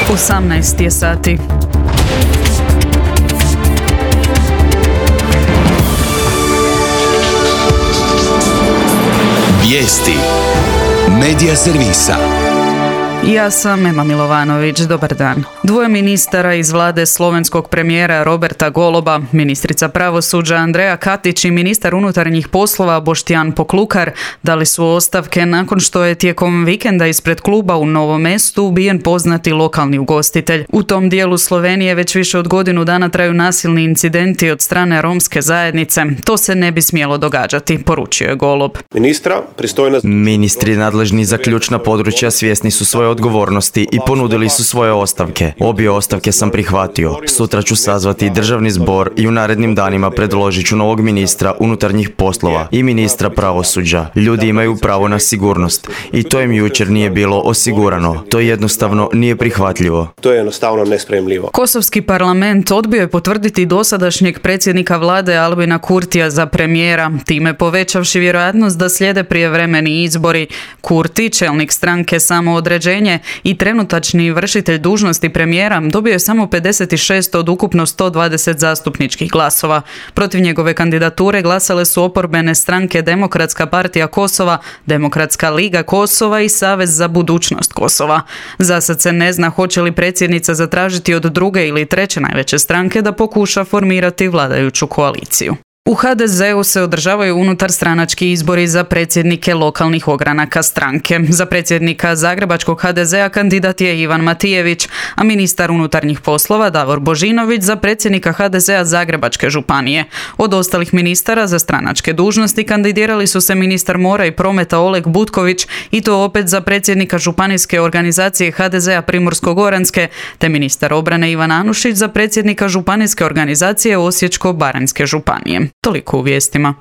18 je sati. Vijesti Medija servisa. Ja sam Ema Milovanović, dobar dan. Dvoje ministara iz vlade slovenskog premijera Roberta Goloba, ministrica pravosuđa Andreja Katić i ministar unutarnjih poslova Boštjan Poklukar dali su ostavke nakon što je tijekom vikenda ispred kluba u Novom Mestu ubijen poznati lokalni ugostitelj. U tom dijelu Slovenije već više od godinu dana traju nasilni incidenti od strane romske zajednice. To se ne bi smjelo događati, poručio je Golob. Ministri nadležni za ključna područja svjesni su svoje odgovornosti i ponudili su svoje ostavke. Obje ostavke sam prihvatio. Sutra ću sazvati državni zbor i u narednim danima predložit ću novog ministra unutarnjih poslova i ministra pravosuđa. Ljudi imaju pravo na sigurnost i to im jučer nije bilo osigurano. To jednostavno nije prihvatljivo. To je jednostavno nespremljivo. Kosovski parlament odbio je potvrditi dosadašnjeg predsjednika vlade Albina Kurtija za premijera, time povećavši vjerojatnost da slijede prijevremeni izbori. Kurti, čelnik stranke Samoodređenje i trenutačni vršitelj dužnosti premijera, dobio je samo 56 od ukupno 120 zastupničkih glasova. Protiv njegove kandidature glasale su oporbene stranke Demokratska partija Kosova, Demokratska liga Kosova i Savez za budućnost Kosova. Zasad se ne zna hoće li predsjednica zatražiti od druge ili treće najveće stranke da pokuša formirati vladajuću koaliciju. U HDZ-u se održavaju unutarstranački izbori za predsjednike lokalnih ogranaka stranke. Za predsjednika zagrebačkog HDZ-a kandidat je Ivan Matijević, a ministar unutarnjih poslova Davor Božinović za predsjednika HDZ-a Zagrebačke županije. Od ostalih ministara za stranačke dužnosti kandidirali su se ministar mora i prometa Oleg Butković i to opet za predsjednika županijske organizacije HDZ-a Primorsko-goranske, te ministar obrane Ivan Anušić za predsjednika županijske organizacije Osječko-baranjske županije. Toliko u vijestima.